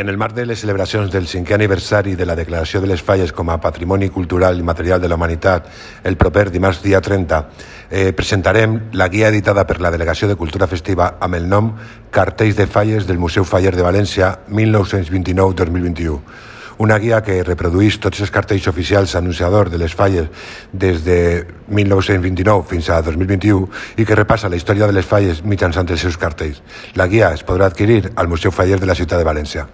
En el marc de les celebracions del 5è aniversari de la declaració de les Falles com a Patrimoni Cultural i Material de la Humanitat, el proper dimarts dia 30, presentarem la guia editada per la Delegació de Cultura Festiva amb el nom Cartells de Falles del Museu Faller de València 1929-2021. Una guia que reprodueix tots els cartells oficials anunciadors de les falles des de 1929 fins a 2021 i que repassa la història de les falles mitjançant els seus cartells. La guia es podrà adquirir al Museu Faller de la ciutat de València.